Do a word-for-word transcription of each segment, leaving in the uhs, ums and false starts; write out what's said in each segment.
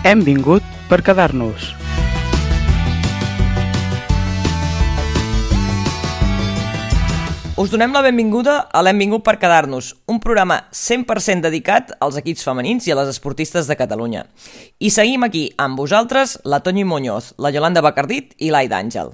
Hem vingut per quedar-nos. Us donem la benvinguda a l'Hem vingut per quedar-nos, un programa cent per cent dedicat als equips femenins i a les esportistes de Catalunya. I seguim aquí amb vosaltres la Toñi Muñoz, la Yolanda Bacardit i l'Aida Àngel.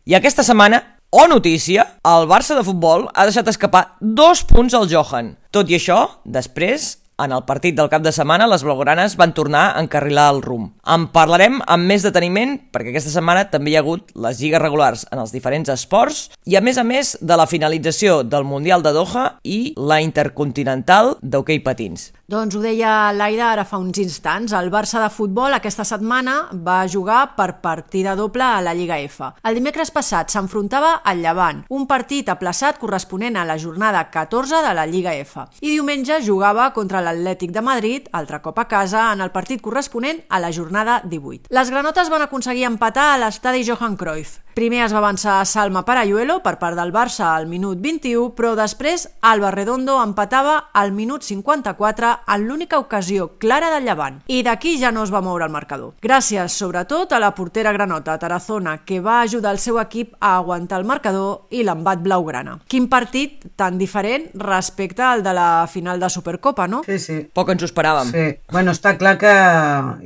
I aquesta setmana, oh notícia, el Barça de futbol ha deixat escapar dos punts al Johan. Tot i això, després, en el partit del cap de setmana, les blaugranes van tornar a encarrilar el rumb. En parlarem amb més deteniment, perquè aquesta setmana també hi ha hagut les lligues regulars en els diferents esports i, a més a més, de la finalització del Mundial de Doha i la Intercontinental d'hoquei patins. Doncs ho deia l'Aida ara fa uns instants. El Barça de futbol aquesta setmana va jugar per partida doble a la Lliga F. El dimecres passat s'enfrontava al Llevant, un partit aplaçat corresponent a la jornada catorze de la Lliga F. I diumenge jugava contra l'Atlètic de Madrid, altre cop a casa, en el partit corresponent a la jornada divuit. Les granotes van aconseguir empatar a l'estadi Johan Cruyff. Primer es va avançar Salma Parayuelo per part del Barça al minut vint-i-u, però després Alba Redondo empatava al minut cinquanta-quatre en l'única ocasió clara del Llevant. I d'aquí ja no es va moure el marcador. Gràcies, sobretot, a la portera granota Tarazona, que va ajudar el seu equip a aguantar el marcador i l'embat blaugrana. Quin partit tan diferent respecte al de la final de Supercopa, no? Sí, sí. Poc ens ho esperàvem. Sí. Bueno, està clar que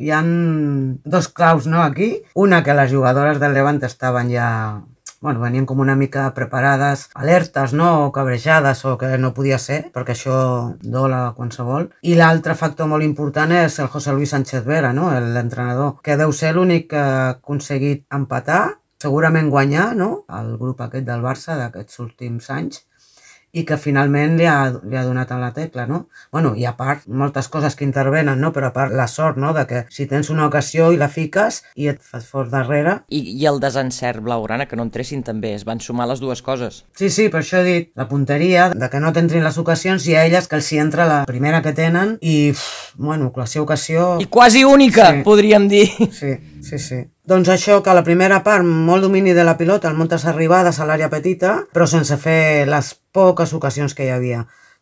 hi ha dos claus, no, aquí. Una, que les jugadores del Levante estaven ja bueno, venien com una mica preparades, alertes, no? O cabrejades, o que no podia ser, perquè això dola qualsevol. I l'altre factor molt important és el José Luis Sánchez Vera, no? L'entrenador, que deu ser l'únic que ha aconseguit empatar, segurament guanyar, no? El grup aquest del Barça d'aquests últims anys, i que finalment li ha, li ha donat a la tecla, no? Bueno, i a part, moltes coses que intervenen, no? Però a part la sort, no? De que si tens una ocasió i la fiques i et fas fort darrere... I, i el desencert blaugrana, que no entressin també, es van sumar les dues coses. Sí, sí, per això he dit, la punteria, de que no t'entrin les ocasions i a elles que els hi entra la primera que tenen i, uf, bueno, la seva ocasió... I quasi única, sí. Podríem dir. Sí, sí, sí. Doncs això, que a la primera part, molt domini de la pilota, moltes arribades a l'àrea petita, però sense fer les poques ocasions que hi havia.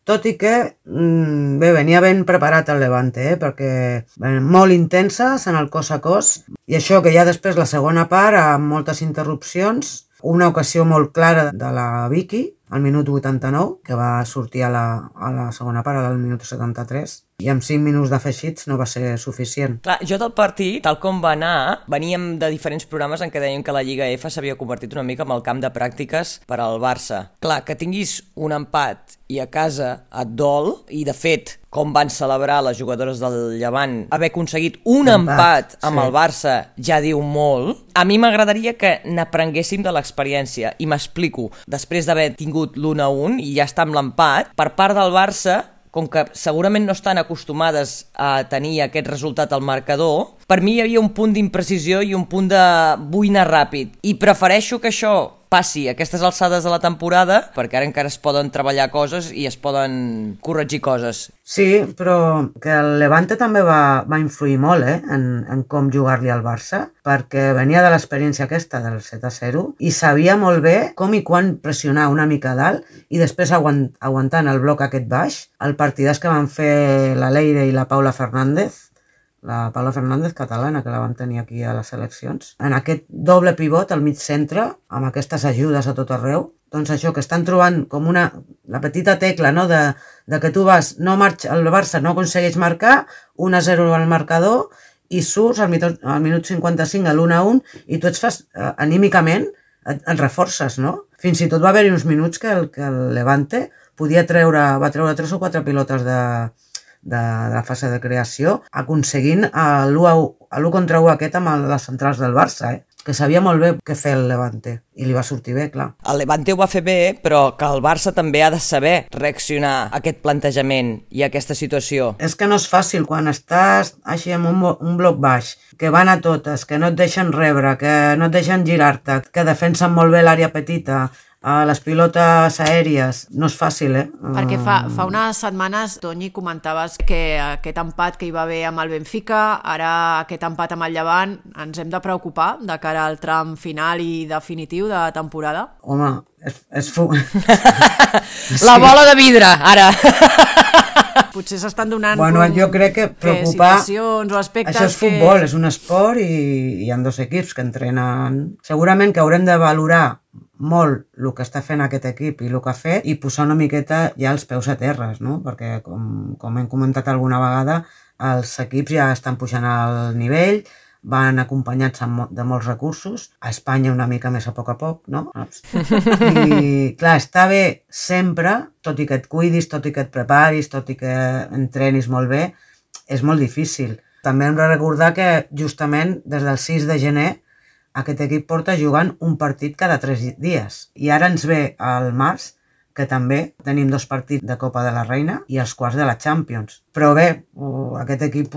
Tot i que, bé, venia ben preparat el Levante, eh? Perquè bé, molt intenses en el cos a cos, i això que ja després la segona part, amb moltes interrupcions, una ocasió molt clara de la Vicky, al minut vuitanta-nou, que va sortir a la, a la segona part, al minut setanta-tres, i amb cinc minuts d'afegits no va ser suficient. Clar, jo del partit, tal com va anar, veníem de diferents programes en què deien que la Lliga F s'havia convertit una mica en el camp de pràctiques per al Barça. Clar, que tinguis un empat i a casa et dol, i de fet, com van celebrar les jugadores del Llevant, haver aconseguit un empat, empat amb sí. El Barça ja diu molt. A mi m'agradaria que n'aprenguéssim de l'experiència, i m'explico. Després d'haver tingut l'un a un i ja està amb l'empat, per part del Barça, com que segurament no estan acostumades a tenir aquest resultat al marcador, per mi hi havia un punt d'imprecisió i un punt de vull anar ràpid. I prefereixo que això passi a aquestes alçades de la temporada, perquè ara encara es poden treballar coses i es poden corregir coses. Sí, però que el Levante també va, va influir molt eh, en, en com jugar-li al Barça, perquè venia de l'experiència aquesta del set a zero i sabia molt bé com i quan pressionar una mica dalt i després aguant, aguantant el bloc aquest baix, el partidàs que van fer la Leire i la Paula Fernández, la Paula Fernández catalana, que la vam tenir aquí a les seleccions, en aquest doble pivot al mig centre, amb aquestes ajudes a tot arreu, doncs això, que estan trobant com una, la petita tecla, no?, de, de que tu vas, no marxa, el Barça no aconsegueix marcar, un a zero al marcador, i surts al minut, al minut cinquanta-cinc a l'un a un, i tu et fas, eh, anímicament, et, et reforces, no? Fins i tot va haver-hi uns minuts que el, que el Levante podia treure, va treure tres o quatre pilotes de... De, de la fase de creació, aconseguint l'u contra u aquest amb les centrals del Barça, eh? Que sabia molt bé què fer el Levante, i li va sortir bé, clar. El Levante ho va fer bé, però que el Barça també ha de saber reaccionar a aquest plantejament i a aquesta situació. És que no és fàcil, quan estàs així amb un, un bloc baix, que van a totes, que no et deixen rebre, que no et deixen girar-te, que defensen molt bé l'àrea petita, a les pilotes aèries, no és fàcil, eh? Perquè fa, fa unes setmanes, Toñi, comentaves que aquest empat que hi va haver amb el Benfica, ara aquest empat amb el Llevant, ens hem de preocupar de cara al tram final i definitiu de temporada? Home, és... és fu... La bola de vidre, ara! Potser s'estan donant Bueno, com, jo crec que preocupar... situacions o aspectes Això és futbol, és un esport i hi ha dos equips que entrenen... Segurament que haurem de valorar molt el que està fent aquest equip i el que ha fet i posar una miqueta ja els peus a terres, no? Perquè, com, com hem comentat alguna vegada, els equips ja estan pujant al nivell, van acompanyats de molts recursos, a Espanya una mica més a poc a poc, no? I, clar, està bé sempre, tot i que et cuidis, tot i que et preparis, tot i que entrenis molt bé, és molt difícil. També hem de recordar que justament des del sis de gener aquest equip porta jugant un partit cada tres dies. I ara ens ve al març, que també tenim dos partits de Copa de la Reina i els quarts de la Champions. Però bé, aquest equip,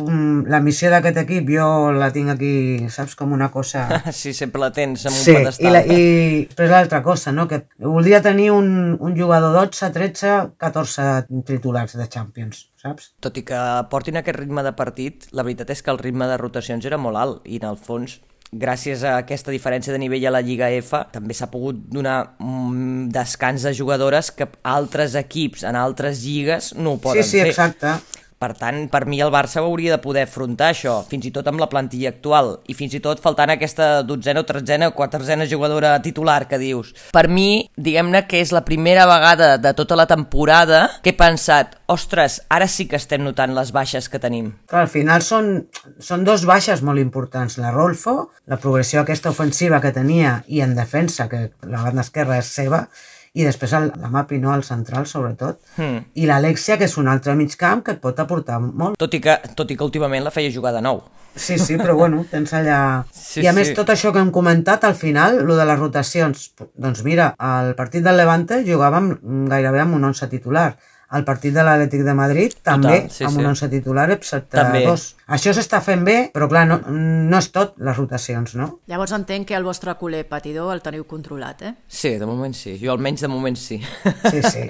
la missió d'aquest equip jo la tinc aquí, saps, com una cosa... Sí, sempre la tens en un sí, pedestal. I, la, i després l'altra cosa, no? Que voldria tenir un, un jugador dotze, tretze, catorze titulars de Champions, saps? Tot i que portin aquest ritme de partit, la veritat és que el ritme de rotacions era molt alt i en el fons, gràcies a aquesta diferència de nivell a la Lliga F, també s'ha pogut donar un descans de jugadores que altres equips en altres lligues no ho poden sí, sí, fer. Exacte. Per tant, per mi el Barça hauria de poder afrontar això, fins i tot amb la plantilla actual, i fins i tot faltant aquesta dotzena o tretzena o quatorzena jugadora titular que dius. Per mi, diguem-ne que és la primera vegada de tota la temporada que he pensat, ostres, ara sí que estem notant les baixes que tenim. Clar, al final són, són dos baixes molt importants. La Rolfo, la progressió aquesta ofensiva que tenia, i en defensa, que la banda esquerra és seva, i després el, la Mapi, no, el central, sobretot. Hmm. I l'Alexia, que és un altre mig camp que et pot aportar molt. Tot i que, tot i que últimament la feia jugar de nou. Sí, sí, però bueno, tens allà... Sí, I a sí. més, tot això que hem comentat, al final, lo de les rotacions, doncs mira, al partit del Levante jugàvem gairebé amb un once titular. Al partit de l'Atlètic de Madrid també, Total, sí, amb sí. un once titular, excepte també. dos. Això s'està fent bé, però clar, no, no és tot les rotacions, no? Llavors entenc que el vostre culer patidor el teniu controlat, eh? Sí, de moment sí. Jo almenys de moment sí. Sí, sí.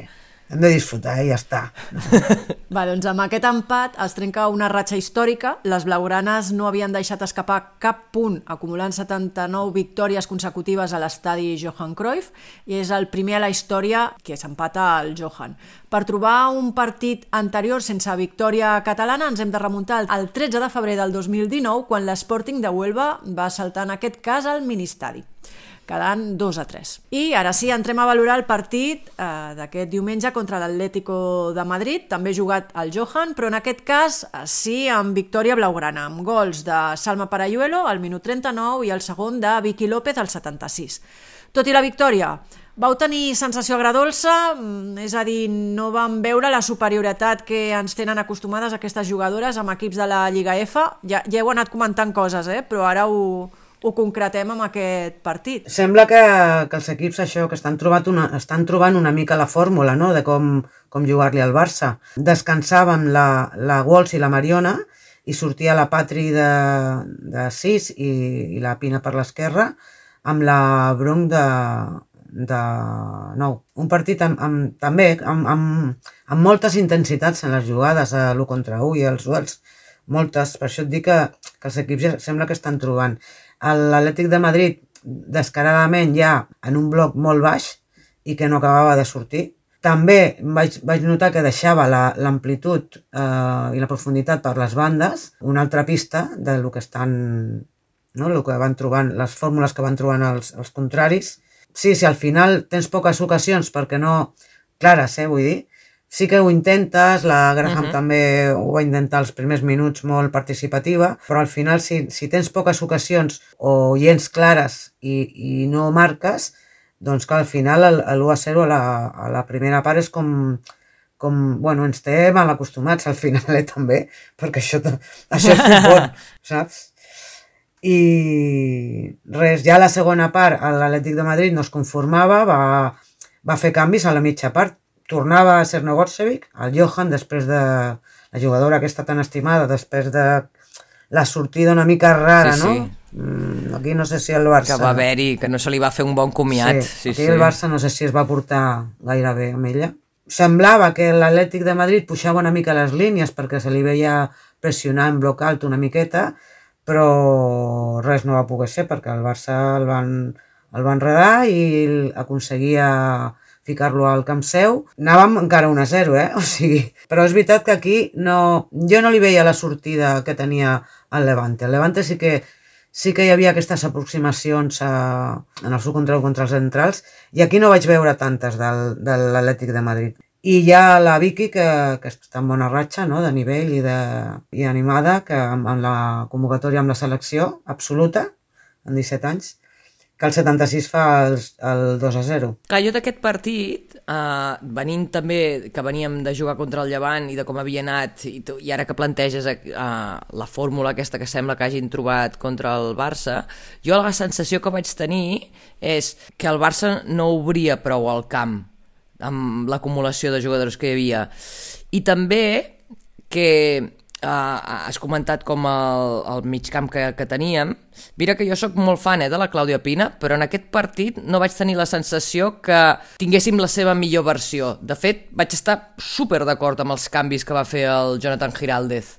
Hem de disfrutar i ja està. Va, doncs amb aquest empat es trenca una ratxa històrica. Les blaugranes no havien deixat escapar cap punt, acumulant setanta-nou victòries consecutives a l'estadi Johan Cruyff, i és el primer a la història que s'empata al Johan. Per trobar un partit anterior sense victòria catalana ens hem de remuntar al tretze de febrer del dos mil dinou, quan l'Sporting de Huelva va saltar en aquest cas al ministadi, quedant dos a tres. I ara sí, entrem a valorar el partit eh, d'aquest diumenge contra l'Atlético de Madrid, també jugat al Johan, però en aquest cas eh, sí amb victòria blaugrana, amb gols de Salma Parayuelo al minut trenta-nou i el segon de Vicky López al setanta-sis. Tot i la victòria, vau tenir sensació agradolça, és a dir, no vam veure la superioritat que ens tenen acostumades aquestes jugadores amb equips de la Lliga F. Ja, ja heu anat comentant coses, eh? Però ara ho... ho concretem amb aquest partit. Sembla que, que els equips això, que estan trobant una, estan trobant una mica la fórmula, no?, de com, com jugar-li al Barça. Descansàvem la, la Walsh i la Mariona i sortia la Patri de, de sis i, i la Pina per l'esquerra amb la Brunk de, de nou. Un partit amb, amb, també amb, amb, amb moltes intensitats en les jugades, a l'u contra u i els duels. Moltes, per això et dic que, que els equips ja sembla que estan trobant. L'Atlètic de Madrid descaradament ja en un bloc molt baix i que no acabava de sortir. També vaig, vaig notar que deixava l'amplitud eh, i la profunditat per les bandes, una altra pista de lo que estan, no, lo que van trobant, les fórmules que van trobant els, els contraris. Sí, si al final tens poques ocasions perquè no clares, eh, vull dir, sí que ho intentes, la Graham uh-huh. també ho va intentar els primers minuts molt participativa, però al final si, si tens poques ocasions o gens clares i, i no marques, doncs que al final l'u a zero a la, a la primera part és com, com, bueno, ens té mal acostumats al final, eh, també, perquè això, això és futbol, saps? I res, ja a la segona part l'Atlètic de Madrid no es conformava, va, va fer canvis a la mitja part. Tornava a ser Nogorcevic, el Johan, després de la jugadora aquesta tan estimada, després de la sortida una mica rara, sí, sí. no? Mm, aquí no sé si el Barça... Que va haver-hi, que no se li va fer un bon comiat. Sí, sí, aquí sí. El Barça no sé si es va portar gaire bé amb ella. Semblava que l'Atlètic de Madrid pujava una mica les línies perquè se li veia pressionar en bloc alt una miqueta, però res no va poder ser perquè el Barça el van, el va enredar i aconseguia ficar-lo al camp seu. Anàvem encara un a zero, eh? O sigui, però és veritat que aquí no, jo no li veia la sortida que tenia el Levante. El Levante sí que, sí que hi havia aquestes aproximacions a, en el seu control contra els centrals i aquí no vaig veure tantes del, de l'Atlètic de Madrid. I hi ha la Vicky, que, que està en bona ratxa, no?, de nivell i, de, i animada, que amb, amb la convocatòria amb la selecció absoluta, en disset anys, que el setanta-sis fa el, el dos a zero. Clar, jo d'aquest partit, eh, venint també, que veníem de jugar contra el Llevant i de com havia anat, i, tu, i ara que planteges eh, la fórmula aquesta que sembla que hagin trobat contra el Barça, jo la sensació que vaig tenir és que el Barça no obria prou al camp amb l'acumulació de jugadors que hi havia. I també que uh, has comentat com el, el migcamp que, que teníem. Mira que jo sóc molt fan eh, de la Clàudia Pina, però en aquest partit no vaig tenir la sensació que tinguéssim la seva millor versió. De fet, vaig estar super d'acord amb els canvis que va fer el Jonathan Giraldez.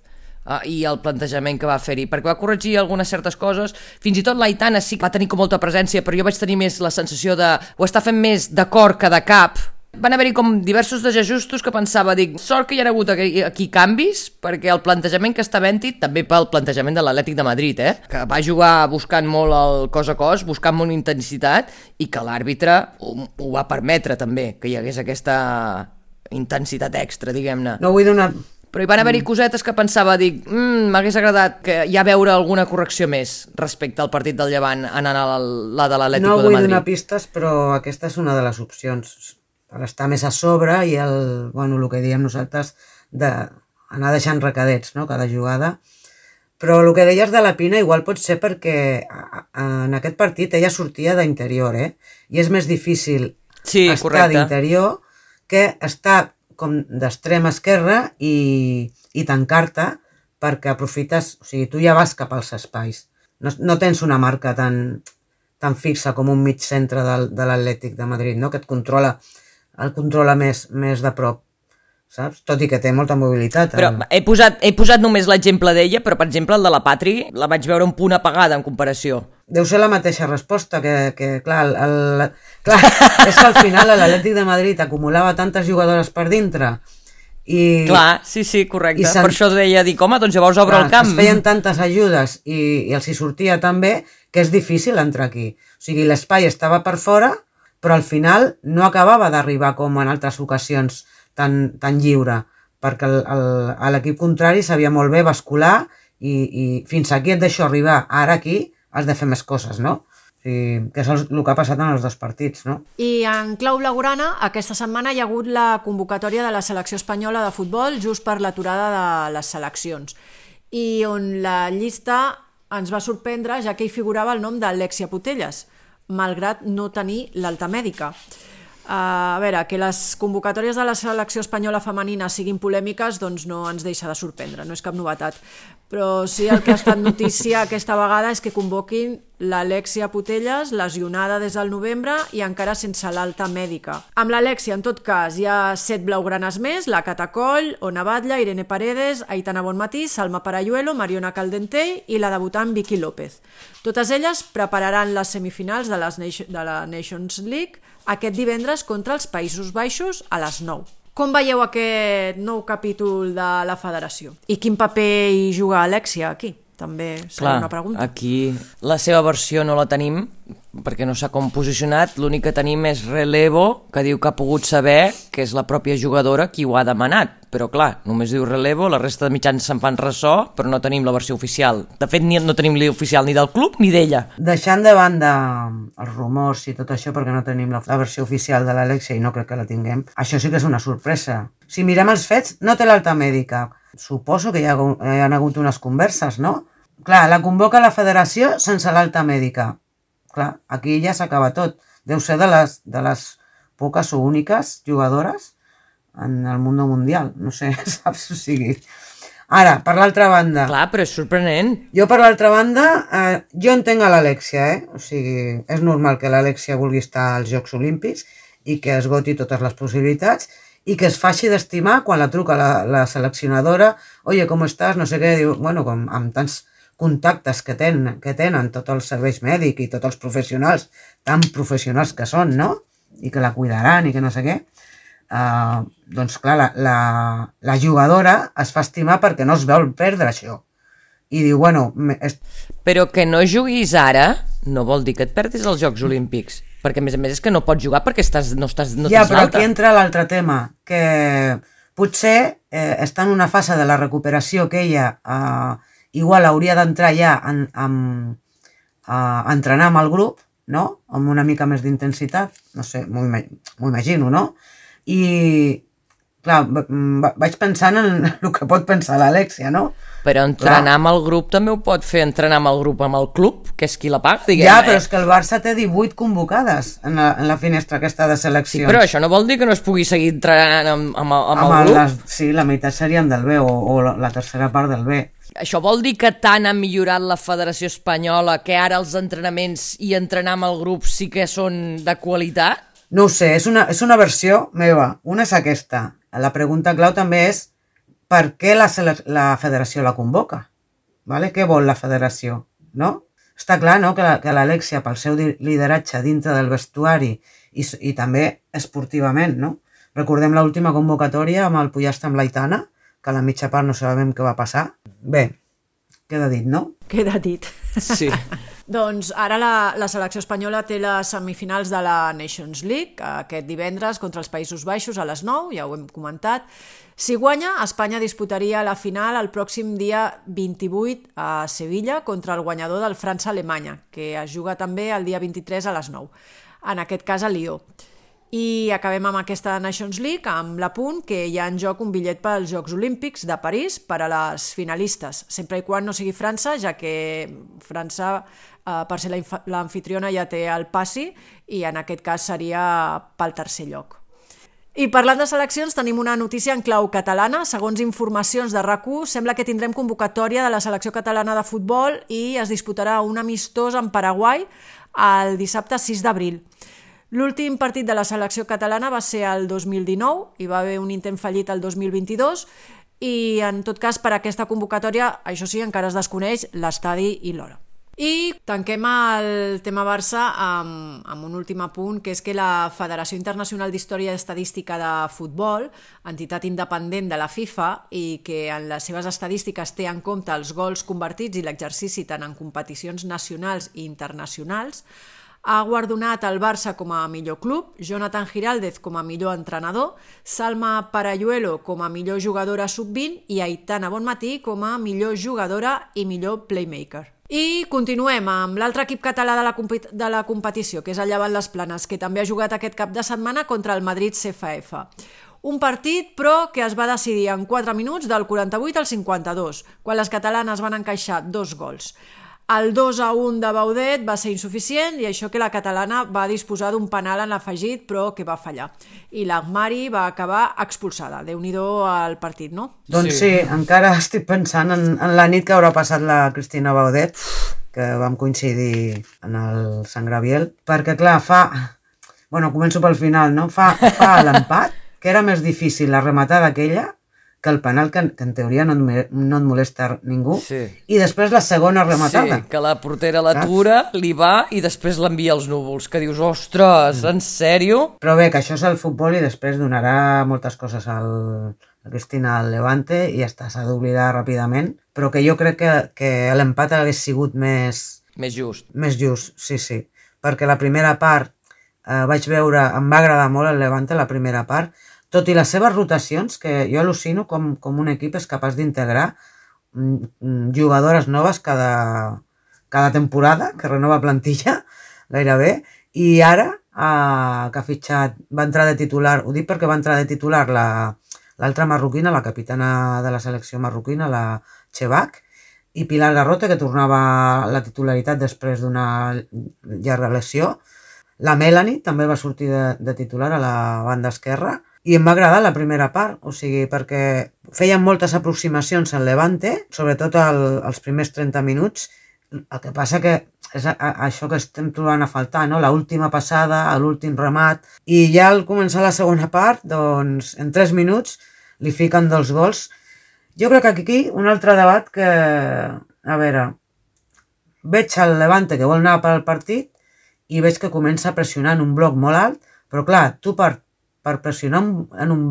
Uh, i el plantejament que va fer-hi, perquè va corregir algunes certes coses, fins i tot l'Aitana sí que va tenir com molta presència, però jo vaig tenir més la sensació de ho està fent més de cor que de cap. Van haver-hi com diversos desajustos que pensava, dic, sort que hi ha hagut aquí, aquí canvis, perquè el plantejament que està havent-hi, també pel plantejament de l'Atlètic de Madrid, eh? Que va jugar buscant molt el cos a cos, buscant molt intensitat, i que l'àrbitre ho, ho va permetre també, que hi hagués aquesta intensitat extra, diguem-ne. No vull donar... Però hi van haver-hi cosetes que pensava, dic, mmm, m'hagués agradat que ja veure alguna correcció més respecte al partit del Llevant anant a la, la de l'Atlético no de Madrid. No vull donar pistes, però aquesta és una de les opcions, per estar més a sobre i el, bueno, el que diem nosaltres d'anar deixant recadets, no?, cada jugada. Però el que deies de la Pina igual pot ser perquè en aquest partit ella sortia d'interior, eh? I és més difícil sí, estar d'interior que estar com d'extrema esquerra i, i tancar-te perquè aprofites, o sigui, tu ja vas cap als espais. No, no tens una marca tan, tan fixa com un mig centre de, de l'Atlètic de Madrid, no?, que et controla el controla més, més de prop, saps? Tot i que té molta mobilitat. Però he posat, he posat només l'exemple d'ella, però per exemple el de la Patri la vaig veure un punt apagada en comparació. Deu ser la mateixa resposta, que, que clar, el, el, clar, és que al final l'Atlètic de Madrid acumulava tantes jugadores per dintre i... Clar, sí, sí, correcte. Per això deia, dic, home, doncs llavors obre clar, el camp. Es feien tantes ajudes i, i els hi sortia tan bé que és difícil entrar aquí. O sigui, l'espai estava per fora, però al final no acabava d'arribar com en altres ocasions tan, tan lliure, perquè l'equip contrari sabia molt bé bascular i, i fins aquí et deixo arribar, ara aquí has de fer més coses, no? O sigui, que és el, el que ha passat en els dos partits, no? I en clau blaugrana, aquesta setmana hi ha hagut la convocatòria de la selecció espanyola de futbol just per l'aturada de les seleccions, i on la llista ens va sorprendre ja que hi figurava el nom d'Alexia Putellas, malgrat no tenir l'alta mèdica. Uh, a veure, que les convocatòries de la selecció espanyola femenina siguin polèmiques, doncs no ens deixa de sorprendre, no és cap novetat. Però sí, el que ha estat notícia aquesta vegada és que convoquin l'Alexia Putellas, lesionada des del novembre i encara sense l'alta mèdica. Amb l'Alexia, en tot cas, hi ha set blaugranes més, la Cata Coll, Ona Batlle, Irene Paredes, Aitana Bonmatí, Salma Parayuelo, Mariona Caldentey i la debutant Vicky López. Totes elles prepararan les semifinals de, les, de la Nations League aquest divendres contra els Països Baixos a les nou. Com veieu aquest nou capítol de la federació? I quin paper hi juga Alexia aquí? També serà una pregunta. Aquí la seva versió no la tenim, perquè no s'ha com posicionat, l'únic que tenim és relevo, que diu que ha pogut saber que és la pròpia jugadora qui ho ha demanat, però clar, només diu relevo, la resta de mitjans se'n fan ressò, però no tenim la versió oficial. De fet, ni, no tenim l'oficial ni del club ni d'ella. Deixant de banda els rumors i tot això, perquè no tenim la, la versió oficial de l'Alexia i no crec que la tinguem, això sí que és una sorpresa. Si mirem els fets, no té l'alta mèdica. Suposo que hi ha, hi ha hagut unes converses, no? Clar, la convoca la federació sense l'alta mèdica. Clar, aquí ja s'acaba tot. Deu ser de les, de les poques o úniques jugadores en el món mundial. No sé, saps? O sigui... Ara, per l'altra banda... Clar, però és sorprenent. Jo, per l'altra banda, eh, jo entenc a l'Alexia, eh? O sigui, és normal que l'Alexia vulgui estar als Jocs Olímpics i que esgoti totes les possibilitats i que es faci d'estimar quan la truca la, la seleccionadora, oye, com estàs? No sé què, diu, bueno, com amb tants contactes que tenen, que tenen tots els serveis mèdics i tots els professionals, tan professionals que són, no? i que la cuidaran i que no sé què, uh, doncs clar, la, la, la jugadora es fa estimar perquè no es vol perdre això. I diu, bueno... És... Però que no juguis ara no vol dir que et perdis els Jocs Olímpics, perquè a més a més és que no pots jugar perquè estàs, no estàs no ja, tens però l'alta. aquí entra l'altre tema, que potser eh, està en una fase de la recuperació que ella eh, igual hauria d'entrar ja en, en, a entrenar amb el grup, no? Amb una mica més d'intensitat, no sé, m'ho imagino, no? I, clar, vaig pensant en el que pot pensar l'Alexia, no? Però entrenar clar. Amb el grup també ho pot fer entrenar amb el grup amb el club, que és qui la paga, diguem. Ja, però és que el Barça té divuit convocades en la, en la finestra aquesta de seleccions. Sí, però això no vol dir que no es pugui seguir entrenant amb, amb, amb, amb el, el grup? Les, sí, la meitat serien del B o, o la, la tercera part del B. Això vol dir que tant ha millorat la Federació Espanyola que ara els entrenaments i entrenar amb el grup sí que són de qualitat? No ho sé, és una, és una versió meva. Una és aquesta. La pregunta clau també és per què la, la federació la convoca? Vale? Què vol la federació? No? Està clar, no?, que l'Alexia, pel seu lideratge dintre del vestuari i, i també esportivament, no? Recordem l'última convocatòria amb el Pollastre amb l'Aitana, que a la mitja part no sabem què va passar. Bé, queda dit, no? Queda dit. Sí. Doncs ara la, la selecció espanyola té les semifinals de la Nations League aquest divendres contra els Països Baixos a les nou, ja ho hem comentat. Si guanya, Espanya disputaria la final el pròxim dia vint-i-vuit a Sevilla contra el guanyador del França-Alemanya, que es juga també el dia vint-i-tres a les nou, en aquest cas a Lió. I acabem amb aquesta Nations League amb l'apunt que hi ha en joc un bitllet pels Jocs Olímpics de París per a les finalistes, sempre i quan no sigui França, ja que França, eh, per ser l'anfitriona, ja té el passi i en aquest cas seria pel tercer lloc. I parlant de seleccions, tenim una notícia en clau catalana. Segons informacions de RAC u, sembla que tindrem convocatòria de la selecció catalana de futbol i es disputarà un amistós en Paraguai el dissabte sis d'abril. L'últim partit de la selecció catalana va ser el dos mil dinou, hi va haver un intent fallit el dos mil vint-i-dos i en tot cas per aquesta convocatòria, això sí, encara es desconeix l'estadi i l'hora. I tanquem el tema Barça amb, amb un últim apunt, que és que la Federació Internacional d'Història i Estadística de Futbol, entitat independent de la FIFA i que en les seves estadístiques té en compte els gols convertits i l'exercici tant en competicions nacionals i internacionals, ha guardonat el Barça com a millor club, Jonathan Giraldez com a millor entrenador, Salma Parayuelo com a millor jugadora sub vint i Aitana Bonmatí com a millor jugadora i millor playmaker. I continuem amb l'altre equip català de la, de la competició, que és el Llevant Les Planes, que també ha jugat aquest cap de setmana contra el Madrid C F F. Un partit, però, que es va decidir en quatre minuts del quaranta-vuit al cinquanta-dos, quan les catalanes van encaixar dos gols. El dos a un de Baudet va ser insuficient i això que la catalana va disposar d'un penal en l'afegit però que va fallar. I l'Agmari va acabar expulsada. Déu-n'hi-do al partit, no? Doncs sí, sí, encara estic pensant en, en la nit que haurà passat la Cristina Baudet, que vam coincidir en el Sant Graviel, perquè clar, fa... Bueno, començo pel final, no? Fa, fa l'empat, que era més difícil la rematada aquella que el penal, que, que en teoria no et, no et molesta ningú, sí. I després la segona rematada. Sí, que la portera l'atura, li va i després l'envia als núvols, que dius, ostres, en sèrio? Però bé, que això és el futbol i després donarà moltes coses al, a Cristina al Levante i ja està, s'ha d'oblidar ràpidament, però que jo crec que, que l'empat hagués sigut més... Més just. Més just, sí, sí, perquè la primera part eh, vaig veure, em va agradar molt el Levante, la primera part, tot i les seves rotacions, que jo al·lucino com, com un equip és capaç d'integrar jugadores noves cada, cada temporada, que renova plantilla gairebé, i ara eh, que ha fitxat, va entrar de titular, ho dic perquè va entrar de titular l'altra marroquina, la capitana de la selecció marroquina, la Chebac, i Pilar Garrote, que tornava a la titularitat després d'una llarga lesió. La Melanie també va sortir de, de titular a la banda esquerra, i em va agradar la primera part, o sigui, perquè feien moltes aproximacions al Levante, sobretot el, els primers trenta minuts, el que passa que és a, a, això que estem trobant a faltar, no? L'última passada, l'últim remat, i ja al començar la segona part, doncs, en tres minuts li fiquen dos gols. Jo crec que aquí un altre debat que, a veure, veig el Levante que vol anar pel partit i veig que comença a pressionar en un bloc molt alt, Però clar, tu per, per pressionar en un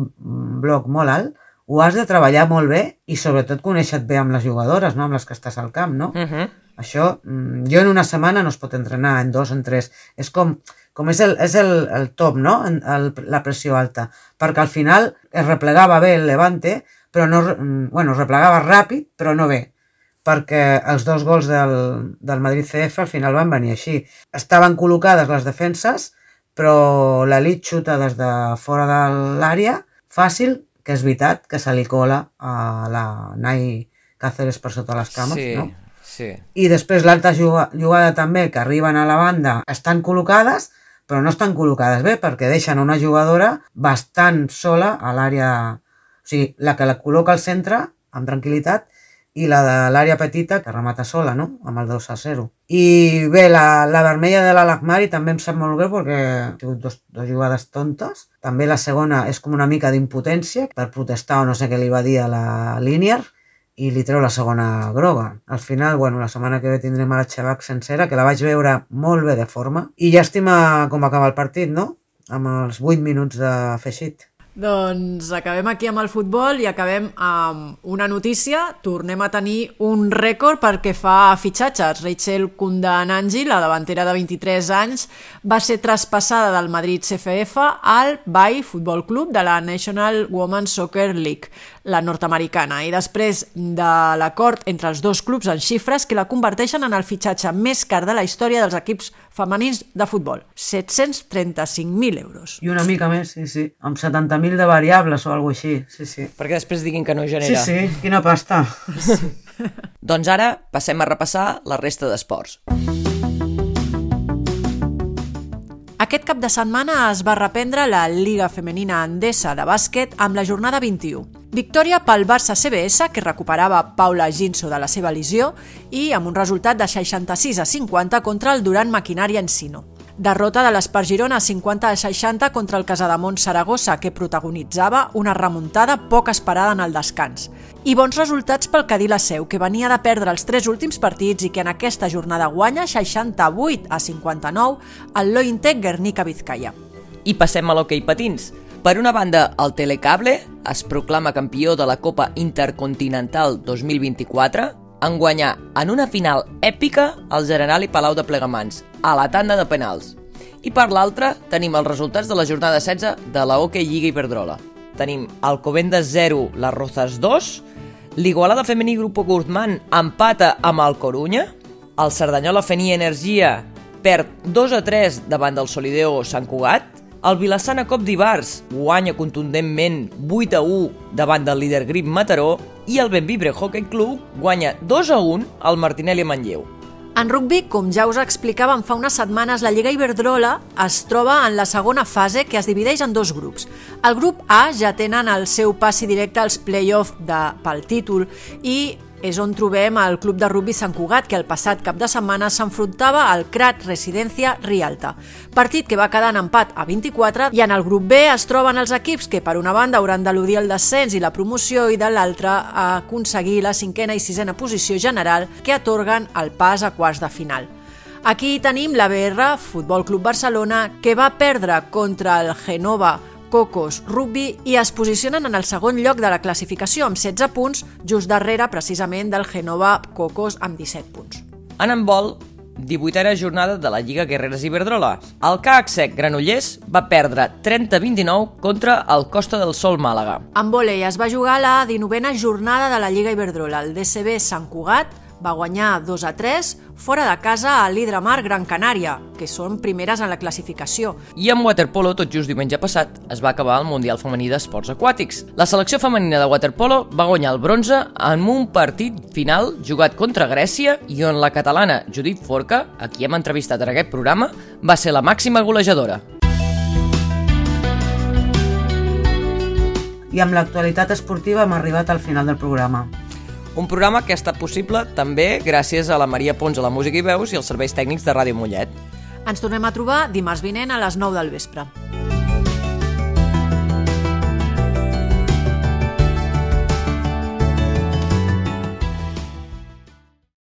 bloc molt alt ho has de treballar molt bé i sobretot conèixer-te bé amb les jugadores, no? Amb les que estàs al camp, no? Uh-huh. Això, jo en una setmana no es pot entrenar, en dos, en tres. És com, com és, el, és el, el top, no? El, la pressió alta. Perquè al final es replegava bé el Levante, però no, bueno, es replegava ràpid, però no bé. Perquè els dos gols del, del Madrid C F al final van venir així. Estaven col·locades les defenses, però l'elit xuta des de fora de l'àrea, fàcil, que és veritat que se li cola a la Nai Cáceres per sota les cames, sí, no? Sí. I després l'altra jugada també, que arriben a la banda, estan col·locades, però no estan col·locades bé, perquè deixen una jugadora bastant sola a l'àrea... O sigui, la que la col·loca al centre, amb tranquil·litat, i la de l'àrea petita, que remata sola, no?, amb el dos a zero. I bé, la, la vermella de l'Alakmari també em sap molt greu perquè ha sigut dos, dos jugades tontes. També la segona és com una mica d'impotència per protestar o no sé què li va dir a la Línier i li treu la segona groga. Al final, bueno, la setmana que ve tindrem a la Xabac sencera, que la vaig veure molt bé de forma. I llàstima com acaba el partit, no?, amb els vuit minuts d'afegit. Doncs acabem aquí amb el futbol i acabem amb una notícia. Tornem a tenir un rècord perquè fa fitxatges. Rachel Kundananji, la davantera de vint-i-tres anys, va ser traspassada del Madrid C F F al Bay Football Club de la National Women's Soccer League, la nord-americana, i després de l'acord entre els dos clubs en xifres que la converteixen en el fitxatge més car de la història dels equips femenins de futbol, set-cents trenta-cinc mil euros. I una mica més, sí, sí, amb setanta mil de variables o alguna així, sí, sí. Perquè després diguin que no genera. Sí, sí, quina pasta. Sí. Doncs ara passem a repassar la resta d'esports. Aquest cap de setmana es va reprendre la Lliga Femenina Endesa de bàsquet amb la jornada vint-i-u. Victòria pel Barça C B S, que recuperava Paula Ginso de la seva lesió, i amb un resultat de seixanta-sis a cinquanta contra el Durant Maquinària Encino. Derrota de l'Espar Girona cinquanta a seixanta contra el Casademont Saragossa, que protagonitzava una remuntada poc esperada en el descans. I bons resultats pel Cadí la Seu, que venia de perdre els tres últims partits i que en aquesta jornada guanya seixanta-vuit a cinquanta-nou al Lointec Guernica Vizcaya. I passem a l'hoquei patins. Per una banda, el Telecable es proclama campió de la Copa Intercontinental dos mil vint-i-quatre en guanyar en una final èpica el Generali Palau de Plegamans, a la tanda de penals. I per l'altra, tenim els resultats de la jornada setze de la Hockey Lliga Iberdrola. Tenim Alcobendas zero, Las Rozas dos, l'Igualada Femení Grupo Guzmán empata amb el Corunya, el Cerdanyola Fenia Energia perd dos a tres davant del Solideo Sant Cugat, el Vilassana Cop d'Ivars guanya contundentment vuit a u davant del líder Grip Mataró i el Benvibre Hockey Club guanya dos a un al Martinelli Manlleu. En rugbi, com ja us explicàvem fa unes setmanes, la Lliga Iberdrola es troba en la segona fase, que es divideix en dos grups. El grup A ja tenen el seu passi directe als play-off de, pel títol i és on trobem el Club de Rugbi Sant Cugat, que el passat cap de setmana s'enfrontava al Crat Residencia Rialta. Partit que va quedar en empat a vint-i-quatre, i en el grup B es troben els equips que per una banda hauran d'eludir el descens i la promoció i de l'altra a aconseguir la cinquena i sisena posició general que atorguen el pas a quarts de final. Aquí tenim la B R, Futbol Club Barcelona, que va perdre contra el Genova Cocos Rugby i es posicionen en el segon lloc de la classificació amb setze punts, just darrere precisament del Genova Cocos amb disset punts. En handbol, divuitena jornada de la Lliga Guerreres Iberdrola. El C A C Granollers va perdre trenta a vint-i-nou contra el Costa del Sol Màlaga. En vòlei es va jugar la dinovena jornada de la Lliga Iberdrola. El D C B Sant Cugat va guanyar dos a tres fora de casa a l'Hidramar Gran Canària, que són primeres en la classificació. I en waterpolo, tot just diumenge passat, es va acabar el Mundial Femení d'Esports Aquàtics. La selecció femenina de waterpolo va guanyar el bronze en un partit final jugat contra Grècia i on la catalana Judit Forca, a qui hem entrevistat en aquest programa, va ser la màxima golejadora. I amb l'actualitat esportiva hem arribat al final del programa. Un programa que ha estat possible també gràcies a la Maria Pons a la música i veus i als serveis tècnics de Ràdio Mollet. Ens tornem a trobar dimarts vinent a les nou del vespre.